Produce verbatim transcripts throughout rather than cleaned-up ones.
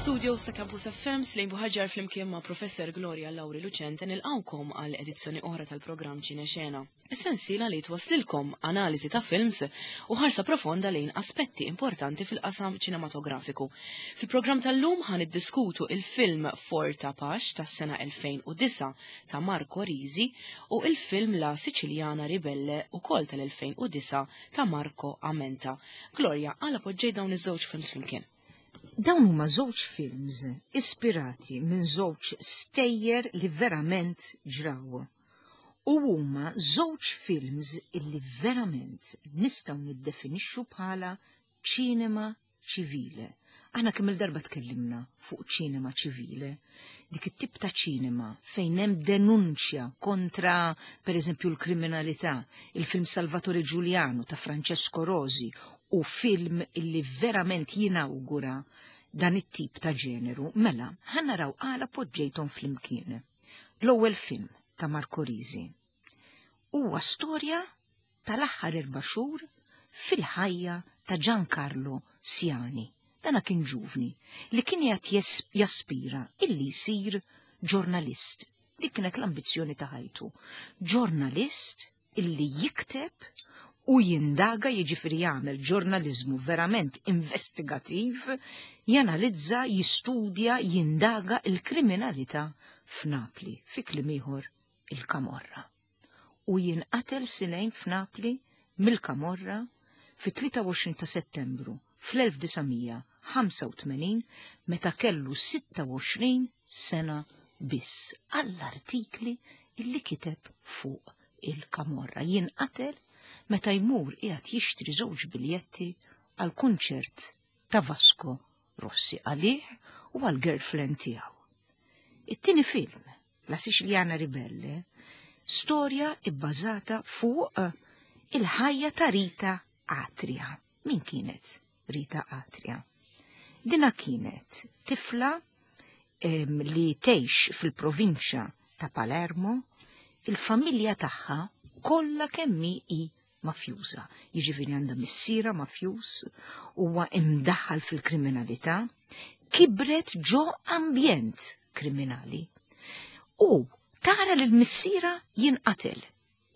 Mill-studios ta' Campus F M, Slejn Buħaġar flimkien ma' Professor Gloria Lauri Lucente nilqawkom għal edizzjoni oħra tal-programm Ċinexena. Is-sensiela li twaslilkom analiżi ta' films u ħarsa profonda lejn aspetti importanti fil-qasam ċinematografiku. Fil-programm tal-lum ħa niddiskutu il-film Fortapax tas-sena elfejn u disgħa ta' Marco Risi u il-film La Siciliana Ribelle ukoll tal-elfejn u disgħa ta' Marco Amenta. Gloria, għala poġġej dawn iż-żewġ films flimkien? Dawn huma żewġ films ispirati minn żewġ stejjer li verament ġraw. U huma żewġ films illi verament nistgħu niddefinixxu bħala ċinema ċivile. Aħna kemm il-darba tkellimna fuq ċinema ċivile, dik it-tip ta' ċinema fejn hemm denunċja kontra, per eżempju, l-kriminalità, il-film Salvatore Giuliano ta' Francesco Rosi u film illi verament jinawgura dan it-tip ta' ġeneru, mela, ħa naraw għala poġġejthom flimkien. L-ewwel film ta' Marco Risi huwa storja tal-aħħar erba' xhur fil-ħajja ta' Giancarlo Siani. Dana kien ġuvni li kien qed jaspira illi jsir ġurnalist. Dik kienet l-ambizzjoni ta' ħajtu. Ġurnalist illi jikteb u jindaga, jiġifieri jagħmel ġurnaliżmu verament investigativ, janalizza, jistudja, jindaga il-kriminalità f'Napli, fi kliem ieħor il-Kamorra. U jinqatel Silejn f'Napli mill-Kamorra fit-tlieta u għoxrin ta' Settembru fl-elf disa' mija ħamsa u tmenin meta kellu sitta u għoxrin sena biss għall-artikli illi kiteb fuq il-Kamorra. Jinqatel meta jmur qiegħed jixtri żewġ biljetti għal kunċert ta' Vasco Rossi għalih u għal girlfriend tiegħu. It-tieni film, La Siciliana Ribelle, storja ibbażata fuq il-ħajja ta' Rita Atria. Min kienet Rita Atria? Dina kienet tifla em, li tgħix fil-provinċja ta' Palermo, il-familja tagħha kollha kemm hi mafjuża. Jiġifieri għandha missiera mafjuż, huwa imdaħħal fil-kriminalità, kibret ġo ambjent kriminali. U tara lil missiera jinqatel.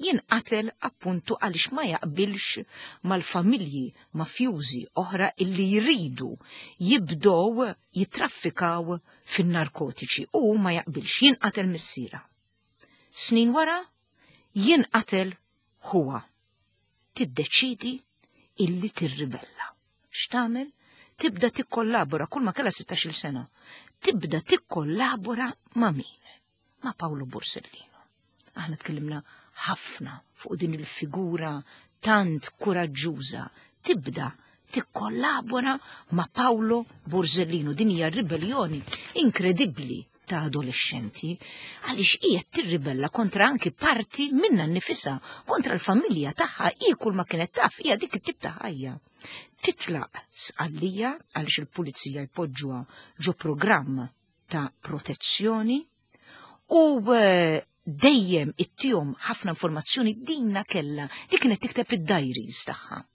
Jinqatel appuntu għaliex ma jaqbilx mal-familji mafjużi oħra illi jridu jibdow jitraffikaw fin-narkotiċi u ma jaqbilx, jinqatel missiera. Snin wara jinqatel huwa. Tiddeċidi illi tirribella. X'tagħmel? Tibda tikkollabora kull ma kellha sittax-il sena. Tibda tikkollabora ma' min? Ma' Paolo Borsellino. Aħna tkellimna ħafna fuq din il-figura tant kuraġġuża. Tibda tikkollabora ma' Paolo Borsellino. Din hija ribellioni inkredibbli ta' adolescenti għaliex qiegħed tirribella kontra anki parti minna nnifisha, kontra l-familja tagħha. Hi kull ma kienet taf hija dik it-tip ta' ħajja. Titlaq Sqallija għaliex il-pulizija jpoġġuha ġo programm ta' protezzjoni u eh, dejjem ittihom ħafna informazzjoni. Dinna kella, dik kienet tikteb id-diaries tagħha.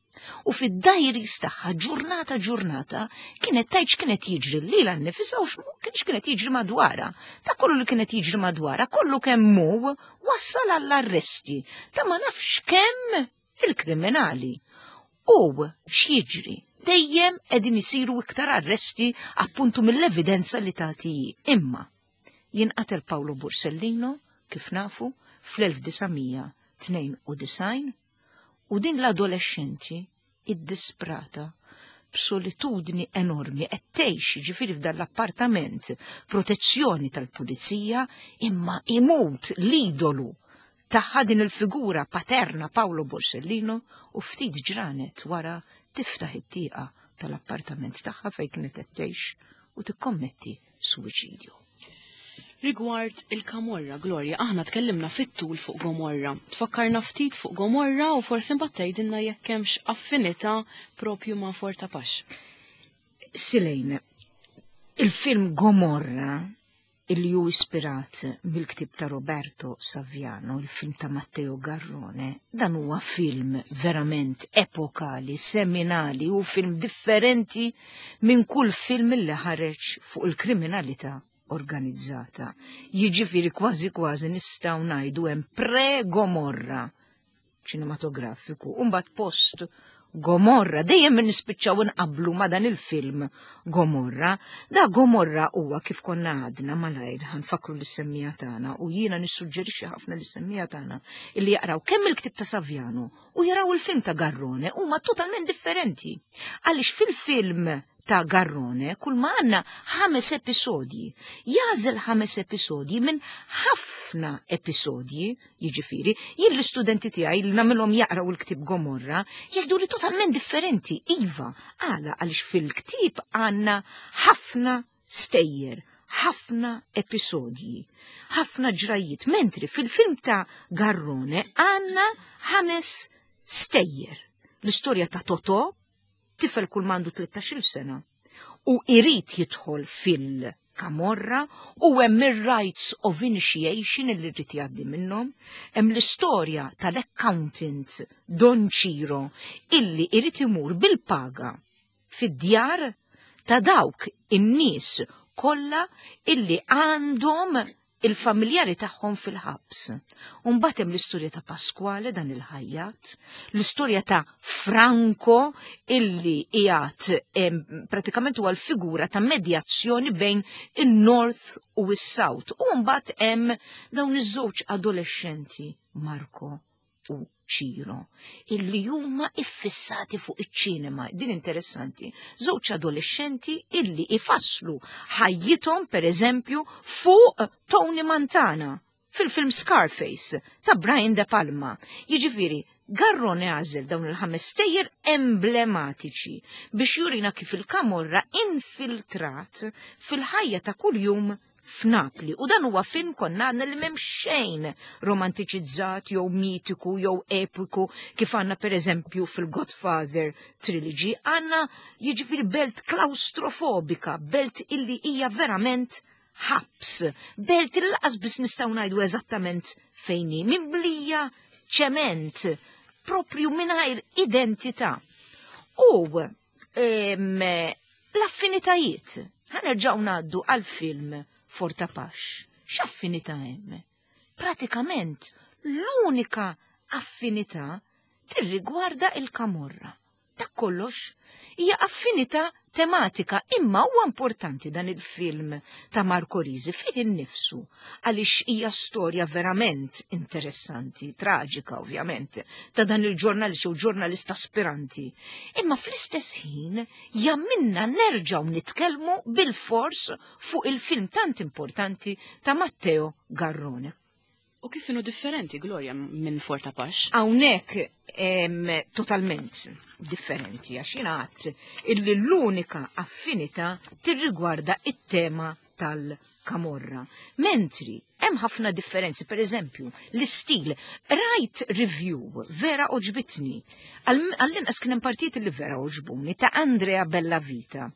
U fid-diaries tagħha ġurnata ġurnata kienet tgħid x'kienet jiġri lilha nnifisha u x'kienet jiġri madwarha. Ta' kollu li kienet jiġri madwarha, kollu kemm hu wassal għall-arresti ta' ma nafx kemm il-kriminali. U x'jiġri? Dejjem qegħdin isiru iktar arresti appuntu mill-evidenza li tagħti. Imma jinqatel Paolo Borsellino, kif nafu, fl-elf disa' mija tnejn u disgħin u din l-adolescenti id-disprata b'solitudni enormi qed tgħix, ġifieri, f'dan l-appartament, protezzjoni tal-pulizija, imma imut l-idolu tagħha, din il-figura paterna Paolo Borsellino, u ftit ġranet wara tiftaħ it-tieqa tal-appartament tagħha fejn kienet qed tgħix u tikkommetti suwiċidju. Rigward il-Kamorra, Gloria, aħna tkellimna fit-tul fuq Gomorra. Tfakkarna ftit fuq Gomorra u forsi mbagħad tgħidilna jekk hemmx affinità propju ma' Fortapax. Silejn, il-film Gomorra Illi hu ispirat mill-ktib ta' Roberto Saviano, il-film ta' Matteo Garrone, dan huwa film verament epokali, seminali, u film differenti minn kull film li ħareġ fuq il-kriminalità organizzata. Jiġifieri kważi kważi nistgħu ngħidu hemm pre-Gomorra ċinematografiku, u mbagħad post Gomorra, dejjem nispiċċaw nqablu ma dan il-film Gomorra. Da Gomorra huwa, kif konna għadna malajr, ħa nfakkru lis-semmiegħa tagħna, u jiena nissuġġerixxi ħafna lis-semmiegħa tagħna illi jaqraw kemm il-ktib ta' Saviano u jaraw il-film ta' Garrone, huma totalment differenti. Għaliex fil-film ta' Garrone kull ma għandna ħames episodji. Jagħżel ħames episodji minn ħafna episodji, jiġifieri, jien l-istudenti tiegħi li nagħmilhom jaqraw il-ktib Gomorra, jgħidu li totalment differenti. Iva, għala? Għaliex fil-ktib għandna ħafna stejjer, ħafna episodji, ħafna ġrajiet, mentri fil-film ta' Garrone għandna ħames stejjer. L-istorja ta' Totò, tifel kull m'għandu tlettax-il sena u irid jidħol fil-kamorra, u hemm ir-rites of initiation illi rrid jgħaddi minnhom, hemm l-istorja tal-accountant Don Ciro illi irid imur bil-paga fid-djar ta' dawk in-nies kollha illi għandhom il-familjari tagħhom fil-ħabs. Umbagħad hemm l-istorja ta' Pasquale, dan il-ħajjat, l-istorja ta' Franco illi qiegħed pratikament huwa l-figura ta' medjazzjoni bejn in-North u s-South. U mbagħad hemm dawn iż-żewġ adolescenti, Marco u Ciro, illi huma iffissati fuq iċ-ċinema. Din interessanti. Żewġ adolescenti illi ifasslu ħajjithom, per eżempju, fuq Tony Montana fil-film Scarface ta' Brian De Palma. Jiġifieri, Garrone għażel dawn il-ħames stejjer emblematiċi biex jurina kif il-kamorra infiltrat fil-ħajja ta' kuljum f'Napli. U dan huwa film, konna għandna li m'hemm xejn romantiċizzat jew mitiku jew epiku kif għandna, per eżempju, fil-Godfather trilogy. Għandna, jiġifieri, belt klaustrofobika, belt illi hija verament ħabs, belt illi lanqas biss nistgħu ngħidu eżattament fejn hi, mimlija ċement, propju mingħajr identità. U l-affinitajiet, ħa nerġgħu ngħaddu għal-film Fortapax. X'affinità hemm? Pratikament l-unika affinità tirrigwarda il-kamorra. Dak kollox, hija affinità tematika, imma huwa importanti dan il-film ta' Marco Risi fih innifsu għaliex hija storja verament interessanti, traġika ovvjament, ta' dan il-ġurnalist u ġurnalist aspiranti. Imma fl-istess ħin jagħmilna nerġgħu nitkellmu bil-fors fuq il-film tant importanti ta' Matteo Garrone. U kif inhu differenti, Gloria, minn Fortapax? Hawnhekk totalment differenti, għax jingħad illi l-unika affinità tirrigwarda it-tema tal-kamorra. Mentri hemm ħafna differenzi, per eżempju, l-istil. Rajt review vera għoġbitni. Għall-inqas kien hemm partijiet li vera għoġbuni ta' Andrea Bellavita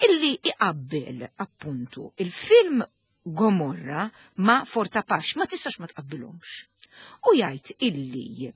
illi iqabbel appuntu il-film Gomorra ma' Fortapax, ma tistax ma tqabbilhomx. U jgħid illi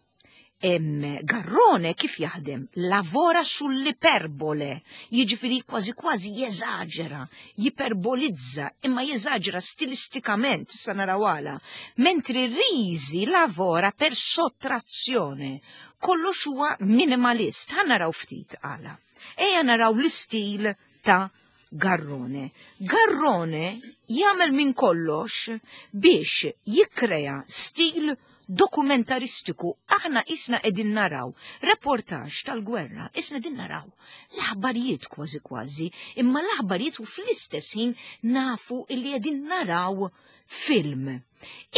em, Garrone kif jaħdem? Lavora sull'iperbole, jiġifieri kważi kważi jeżaġera, jiperbolizza, imma jeżaġera stilistikament, sa naraw għala, mentri Risi lavora per sottrazione, kollox huwa minimalist, ħa naraw ftit għala. Ejja naraw l-istil ta' Garrone. Garrone jagħmel minn kollox biex jikkrea stil dokumentaristiku. Aħna isna qegħdin naraw reportaġġ tal-gwerra, isna qegħdin naraw l-aħbarijiet kważi kważi, imma l-aħbarijiet u fl-istess ħin nafu illi qegħdin naraw film.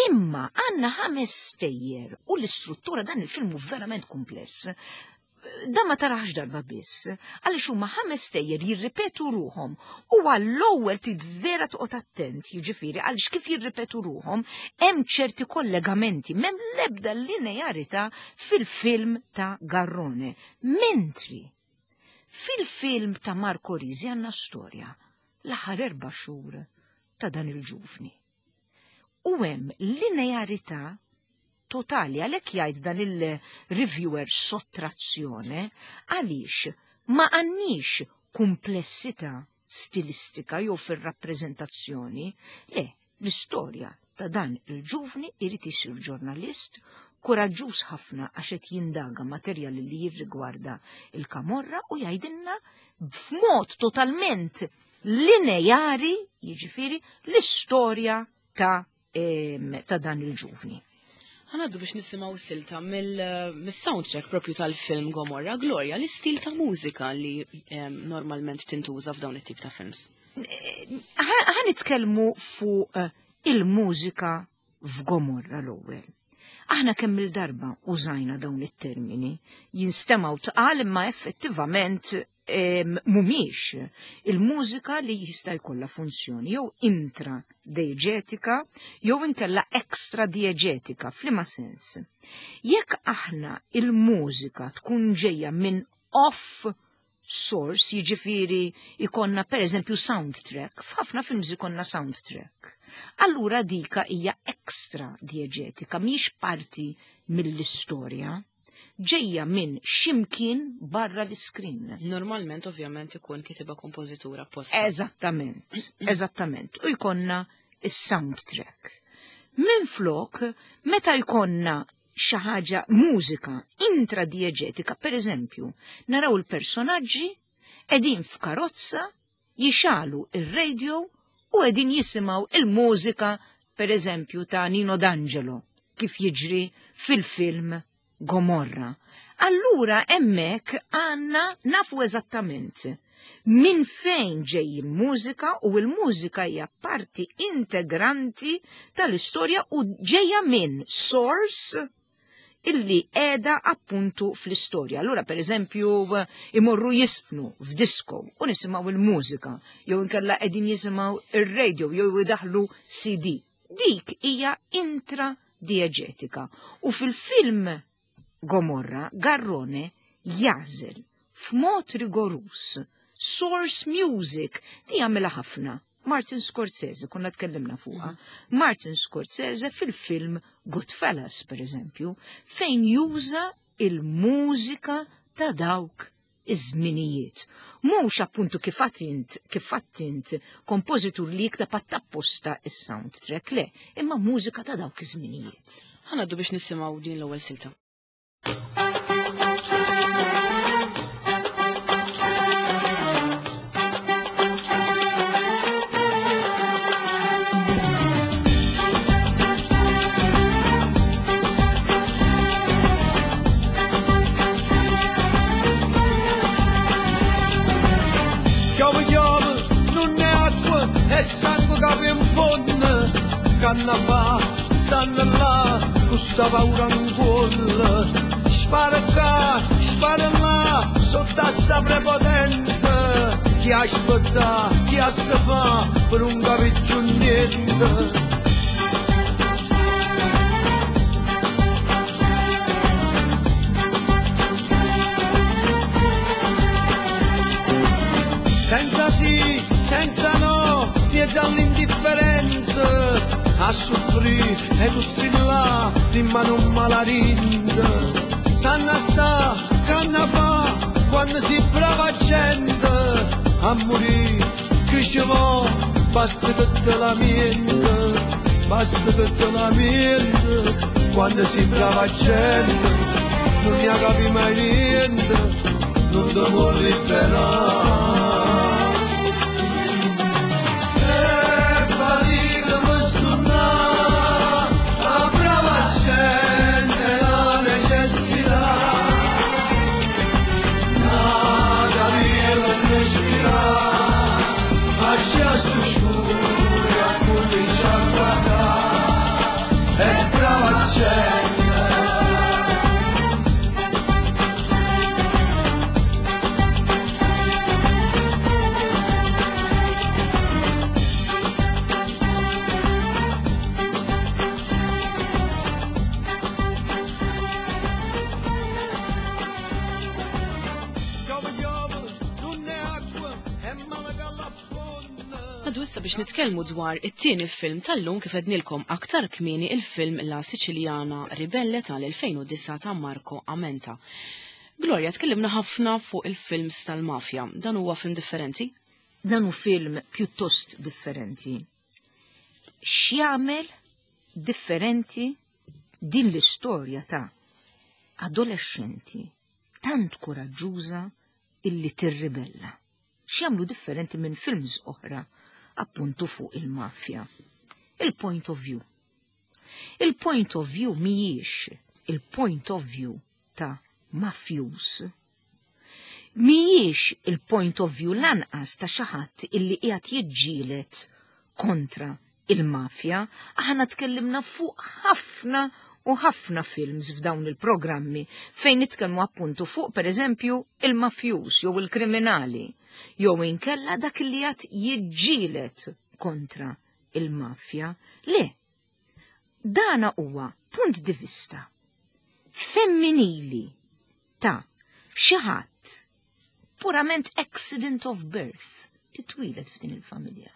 Imma għandna ħames stejjer u l-istruttura, dan il-film hu verament kumpless, da ma tarax darba biss, għaliex huma ħames stejjer jirripetu ruhom u għall-ewwel trid vera toqgħod attent, jiġifieri għaliex kif jirripetu ruhom hemm ċerti kollegamenti, m'hemm l-ebda linearità fil-film ta' Garrone. Mentri fil-film ta' Marco Risi għandna storja l-aħħar erba' xhur ta' dan il-ġuvni. U hemm linearità totali, għalhekk jgħid dan il-reviewer sottrazzjone, għaliex ma għandniex komplessità stilistika jew fir-rappreżentazzjoni, le, l-istorja ta' dan il-ġuvni irid isir ġurnalist kuraġġuż ħafna għax qed jindaga materjal li jirrigwarda il-Kamorra u jgħidilna b'mod totalment lineari, jiġifieri l-istorja ta' ta' dan il-ġuvni. Ħa ngħaddu biex nisimgħu silta mill-soundtrack propju tal-film Gomorra, Gloria, l-istil ta' mużika li normalment tintuża f'dawn it-tip ta' films. Ħa nitkellmu fuq il-mużika f'Gomorra l-ewwel. Aħna kemm il-darba użajna dawn it-termini, jinstemgħu tqal imma effettivament mhumiex il-mużika li jista' jkollha funzjoni jew intra-dieġetika jew inkella extra-dieġetika, f'liema sens. Jekk aħna il-mużika tkun ġejja minn off source, jiġifieri ikonna per eżempju soundtrack, f'ħafna films ikonna soundtrack. Allura dika hija extra dieġetika, mhix parti mill-istorja, ġejja minn ximkien barra l-iskrin. Normalment, ovvjament, ikun kitba kompożitura apposta. Eżattament, eżattament. U jkonna is-soundtrack. Minn flok, meta jkonna xi ħaġa mużika intradieġetika, per eżempju, naraw il-personaġġi qegħdin f'karozza jixalu ir-radio u qegħdin jisimgħu il-mużika, per eżempju, ta' Nino D'Angelo, kif jiġri fil-film Gomorra. Allura hemmhekk għandna nafu eżattament minn fejn ġej il-mużika u l-mużika hija parti integranti tal-istorja u ġejja minn source illi qiegħda appuntu fl-istorja. Allura per eżempju imorru jisfnu f'disco u nisimgħu il-mużika, jew inkella qegħdin jisimgħu ir-radio jew idaħlu C D. Dik hija intradieġetika. U fil-film Gomorra, Garrone jażel f'mod rigorus source music li jagħmilha ħafna. Martin Scorsese, konna tkellimna fuqha. Martin Scorsese fil-film Goodfellas, per eżempju, fejn juża il-mużika ta' dawk iż-żminijiet. Mhux appuntu kif għattint, kif għattint kompożitur li jikteb apposta is-soundtrack, le, imma mużika ta' dawk iż-żminijiet. Ħa ngħaddu biex nisimgħu din l-ewwel silta. E sangue che in fondo, canna fa, stanno là, questa paura in cuore. Spara qua, spara là, sotto sta prepotenza. Chi aspetta, chi si fa, per un capiccio niente. Senza sì, senza no, mezzo all'indifferenza, a soffrire e tu strilla, prima non malarinda. Sanna sta, canna fa, quando si brava gente, a morire, che ci va, basta che te lamenta, basta che te lamenta, quando si brava gente, non mi capi mai niente, non ti può liberare. Issa biex nitkellmu dwar it-tieni film tal-lum, kif għednilkom aktar kmieni, il-film La Siciliana Ribelle tal-elfejn u disgħa ta' Marco Amenta. Gloria, tkellimna ħafna fuq il-films tal-mafja. Dan huwa film differenti? Dan hu film pjuttost differenti. X'jagħmel differenti din l-istorja ta' adolescenti tant kuraġġuża illi tirribella? X'jagħmlu differenti minn films oħra appuntu fuq il-mafja? Il-point of view. Il-point of view mhijiex il-point of view ta' mafjus. Mhijiex il-point of view lanqas ta' xi ħadd illi qiegħed jiġġieled kontra il-mafja. Aħna tkellimna fuq ħafna u ħafna films f'dawn il-programmi fejn nitkellmu appuntu fuq, per eżempju, il-mafjus jew il-kriminali jew inkella dak li qed jiġġieled kontra il-mafja. Le, dana huwa punt di vista femminili ta' xi ħadd purament accident of birth, titwieled f'din il-familja.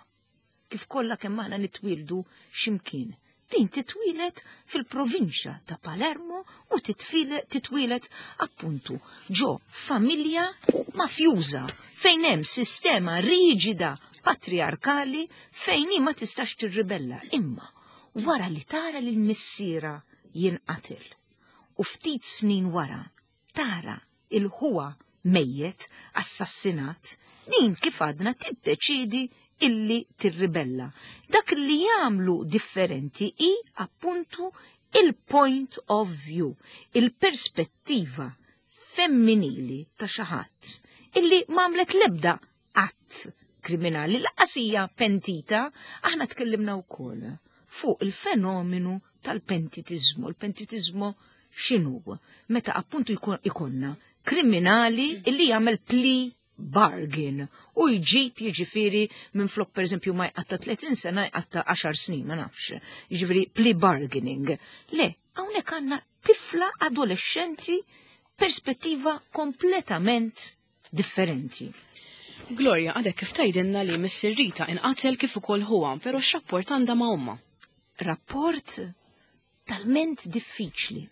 Kif kollha kemm aħna nitwieldu x'imkien. Din titwieled fil-provinċja ta' Palermo u titwieled appuntu ġo familja mafjuża fejn hemm sistema riġida patriarkali fejn hi ma tistax tirribella. Imma wara li tara lil missiera jinqatel u ftit snin wara tara lil ħuha mejjet assassinat, din, kif għadna, tiddeċidi illi tirribella. Dak li jagħmlu differenti i appuntu il-point of view, il-perspettiva femminili ta' xi ħadd illi m'għamlet lebda att kriminali, lanqas hija pentita. Aħna tkellimna wkoll fuq il-fenomenu tal-pentitizmu. Il-pentitizmu x'inhu? Meta appuntu ikonna kriminali illi jagħmel plea bargain u jġib, jiġifieri, minn flok, per eżempju, ma jqatta tletin sena, jqatta għaxar snin, ma nafx. Jiġifieri plea bargaining. Le, hawnhekk għandna tifla adolescenti, perspettiva kompletament differenti. Gloria, għadek kif tgħidilna li missier Rita inqatel kif ukoll ħuha, però x'rapport għandha ma' omma? Rapport talment diffiċli.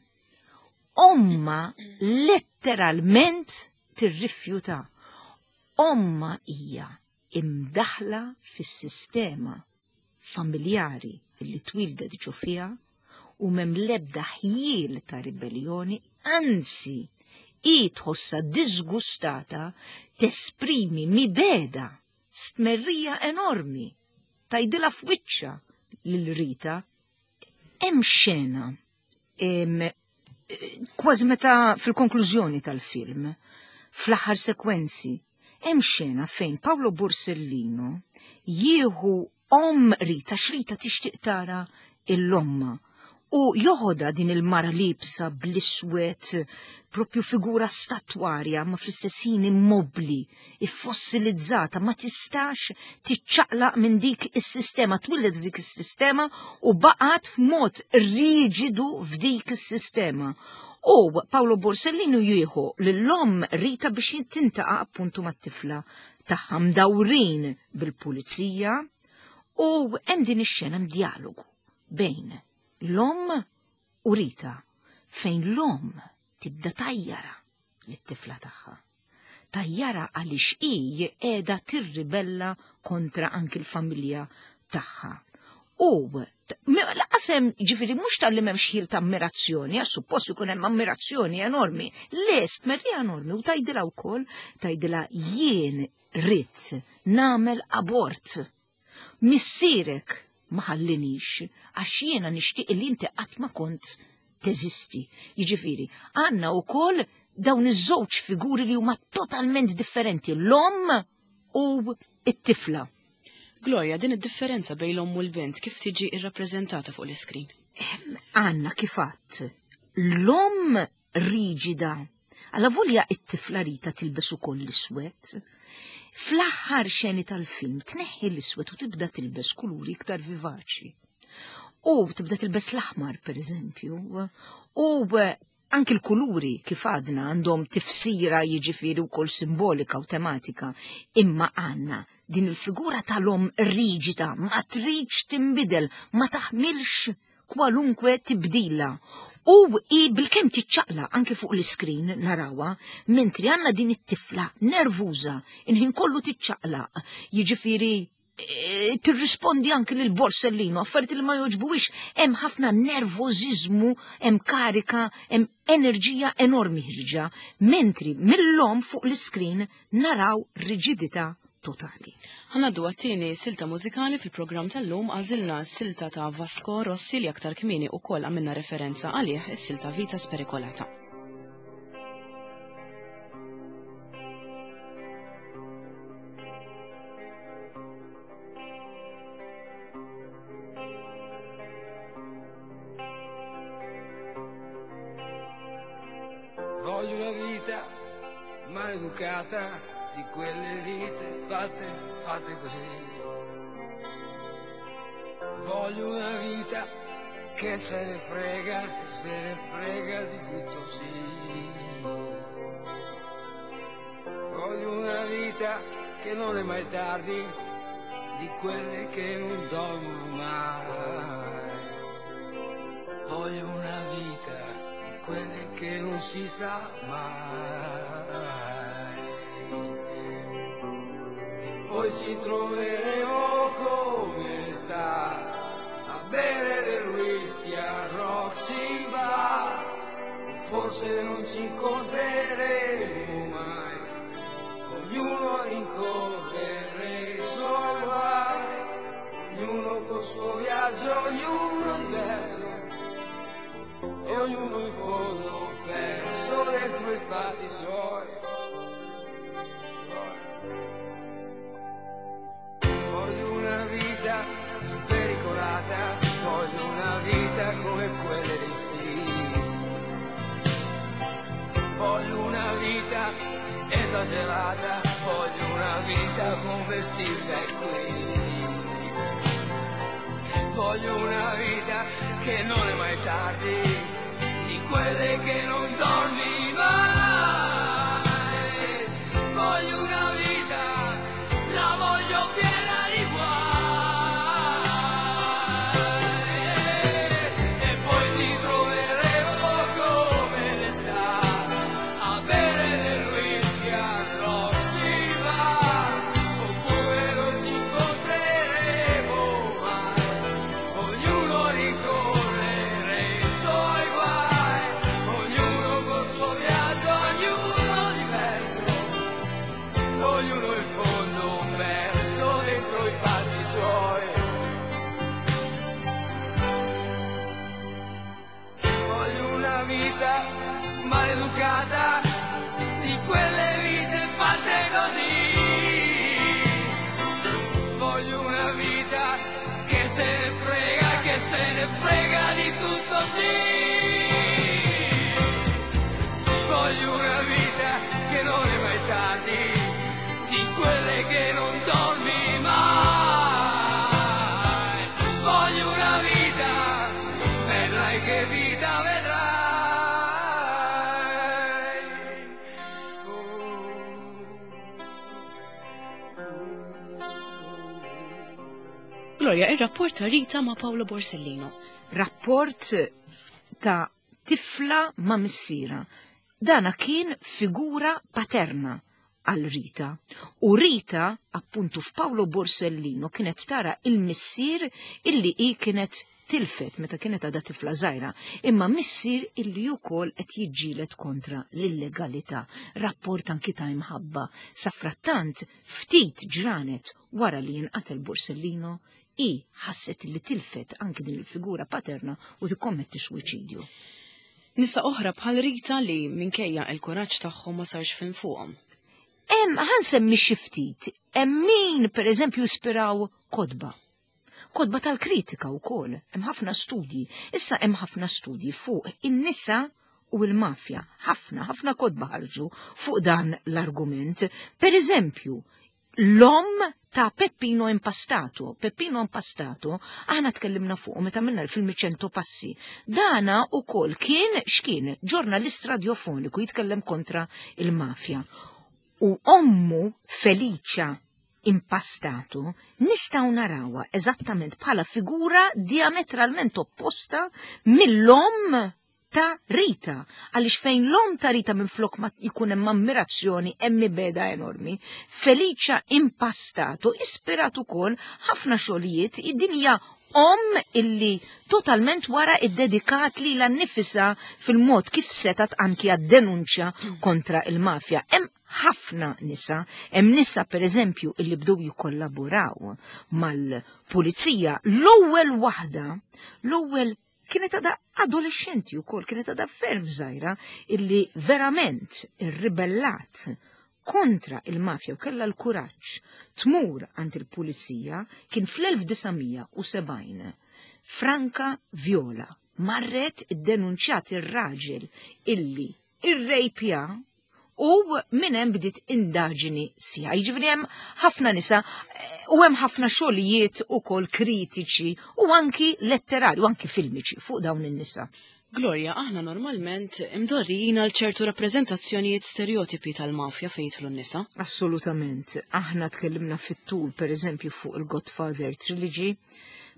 Omma letteralment tirrifjuta. Omma hija imdaħla fis-sistema familjari li twildet ġo fiha u m'hemm lebda ħjiel ta' ribellioni, anzi, i tħossa disgustata, tesprimi mibegħda, stmerrija enormi, tgħidilha f'wiċċha lil Rita. Hemm xena kważi meta fil-konklużjoni tal-film, fl-aħħar sekwenzi, hemm xena fejn Paolo Borsellino jieħu omm Rita, x'Rita tixtieq tara 'l ommha, u joħodha din il-mara liebsa bl-iswed, propju figura statwarja ma fl-istess ħin immobli, iffossilizzata, ma tistax tiċċaqlaq minn dik is-sistema, twildet f'dik is-sistema u baqgħet f'mod riġidu f'dik is-sistema. U Paolo Borsellino jieħu l-omm Rita biex tiltaqa' appuntu mat-tifla tagħha, mdawrin bil-pulizija, u hemm din ix-xena dialogu bejn l-omm u Rita fejn l-omm tibda tgħajjarha lit-tifla tagħha. Tgħajjarha għaliex hi qiegħda tirribella kontra anki l-familja tagħha. U lanqas hemm, ġifieri, mhux talli m'hemmx ħjiel ta' ammirazzjoni, għax suppost ikun hemm ammirazzjoni enormi, lest merri enormi, u tgħidilha wkoll, tgħidilha: "Jien ridt nagħmel abort. Missierek ma ħallinix għax jiena nixtieq li inti qatt ma kont teżisti." Jiġifieri, għandna wkoll dawn iż-żewġ figuri li huma totalment differenti, l-omm u it-tifla. Gloria, din id-differenza bejn l-omm u l-bint kif tiġi irrappreżentata fuq l-iskrin? Għandna, kif għedt, l-omm riġida. Avolja it-tifla Rita tilbes ukoll l-iswed. Fl-aħħar xeni tal-film tneħħi l-iswed u tibda tilbes kuluri iktar vivaċi. U tibda tilbes l-aħmar, per eżempju. U anki l-kuluri, kif għadna, għandhom tifsira, jiġifieri, wkoll simbolika u tematika, imma għandna Din il-figura tal-om riġida, ma tridx tinbidel, ma taħmilx kwalunkwe tibdila. U i bil-kem tiċċaqla anke fuq l-iskrin narawa, mentri għandna din it-tifla nervuża, inħin kollu tiċċaqlaq, jiġifieri tirrispondi anke lil Borsellino, affarijiet li ma joġbuwix, hemm ħafna nervożiżmu, hemm karika, hemm enerġija enormi ħirġa, mentri mill-lom fuq l-iskrin naraw riġidità totali. Ħanaddu għat-tieni silta mużikali fil-programm tal-lum, għażilna silta ta' Vasco Rossi li aktar kmieni ukoll għamilna referenza għalih, is-silta Vita Spericolata. Voglio una vita maleducata, di quelle vite fatte, fatte così. Voglio una vita che se ne frega, se ne frega di tutto, sì. Voglio una vita che non è mai tardi, di quelle che non dormono mai. Voglio una vita di quelle che non si sa mai. Poi ci troveremo come sta a bere del whisky a Roxy Bar. Forse non ci incontreremo mai, ognuno rincorrere i suoi guai, ognuno col suo viaggio, ognuno diverso, e ognuno in fondo perso dentro i fatti suoi. Voglio una vita spericolata, voglio una vita come quelle dei film. Voglio una vita esagerata, voglio una vita con vestita e qui. Voglio una vita che non è mai tardi, di quelle che non dormi mai. Voglio una vita, la voglio piena di guai. E poi ci troveremo come l'estate a bere del whisky a Roxy Bar. Oppure non ci incontreremo mai, ognuno ricorrere i suoi guai, ognuno col suo viaggio, ognuno diverso, ognuno in fondo perso dentro i fatti suoi. Voglio una vita maleducata, di quelle vite fatte così. Voglio una vita che se ne frega, che se ne frega di tutto, sì. Voglio una vita che non è mai tardi, di quelle che non dormi mai. Voglio una vita, vedrai che vita vedrai. Gloria, il-rapport ta' Rita ma' Paolo Borsellino. Rapport ta' tifla ma' missiera. Dana kien figura paterna għal Rita. U Rita, appuntu f'Paolo Borsellino, kienet tara il-missier illi hi kienet tilfet meta kienet għadha tifla żgħira, imma missier illi wkoll qed jiġġieled kontra l-illegalità. Rapport anki ta' imħabba. Safrattant, ftit ġranet wara li jinqatel Borsellino, i ħasset li tilfet anki din il-figura paterna u tikkommetti suwiċidju. Nisa oħra bħal Rita li minkejja il-kuraġġ tagħhom ma sarx film fuqhom. Hemm ħansemmi xi ftit, hemm min pereżempju ispiraw kotba. Kotba tal-kritika wkoll, hemm ħafna studji. Issa hemm ħafna studji fuq in-nisa u l-mafja. Ħafna, ħafna kotba ħarġu fuq dan l-argument. Per eżempju, l-om ta' Peppino Impastato. Peppino Impastato, aħna tkellimna fuq meta minna l-film Cento Passi. Dana u kol kien x'kien ġurnalist radiofoniku jitkellem kontra il-mafja. U ommu Felicia Impastato nistgħu narawha eżattament bħala figura diametralment opposta mill-omm ta' Rita, għaliex fejn l-omm ta' Rita minn flok ma jkun hemm ammirazzjoni, hemm mibegħda enormi. Felicia Impastato ispirat ukoll ħafna xogħlijiet. Id-dinja omm illi totalment wara iddedikat lilha nnifisha fil-mod kif setat anki għad-denunċja kontra il-mafja. Hemm ħafna nisa, hemm nisa, per eżempju, illi bdew jikkollaboraw mal-pulizija. L-ewwel waħda, l-ewwel kienet għada adolescenti wkoll, kienet għada ferm żgħira, illi verament irribellat kontra il-mafja u kella l-kuraġġ tmur għand il-pulizija kien fl-elf disa' mija u sebgħin. Franca Viola marret iddenunċjat ir-raġel illi irrejpja u minn hemm bdiet indaġini sija. Jiġifieri hemm ħafna nisa eh, u hemm ħafna xogħlijiet ukoll kritiċi u anki letterari u anki filmiċi fuq dawn in-nisa. Gloria, aħna normalment imdorrijin għal ċertu rappreżentazzjonijiet stereotipi tal-mafja fejn jidħlu n-nisa. Assolutament. Aħna tkellimna fit-tul, per eżempju, fuq il-Godfather Trilogy,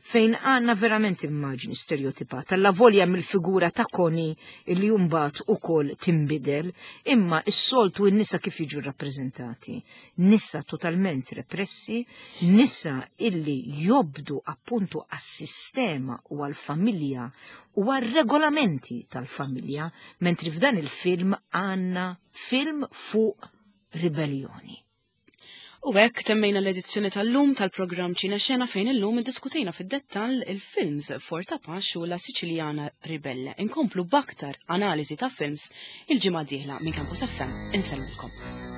fejn għanna verament immaġni stereotipata. Allavolja mill-figura ta' Connie illi mbagħad ukoll timbidel, imma s-soltu n-nisa kif jiġu rappreżentati? Nisa totalment repressi, nisa illi jobdu appuntu għas-sistema u għal-familja u għal-regolamenti tal-familja, mentri f'dan il-film għanna film fuq ribellioni. U hekk temmejna l-edizzjoni tal-lum tal-programm Ċina Xena, fejn illum iddiskutejna fid-dettall il-films Forte Apache u La Siciliana Ribelle. Inkomplu b'aktar analiżi ta' films il-ġimgħa dieħla. Minn Campus F M insellmilkom.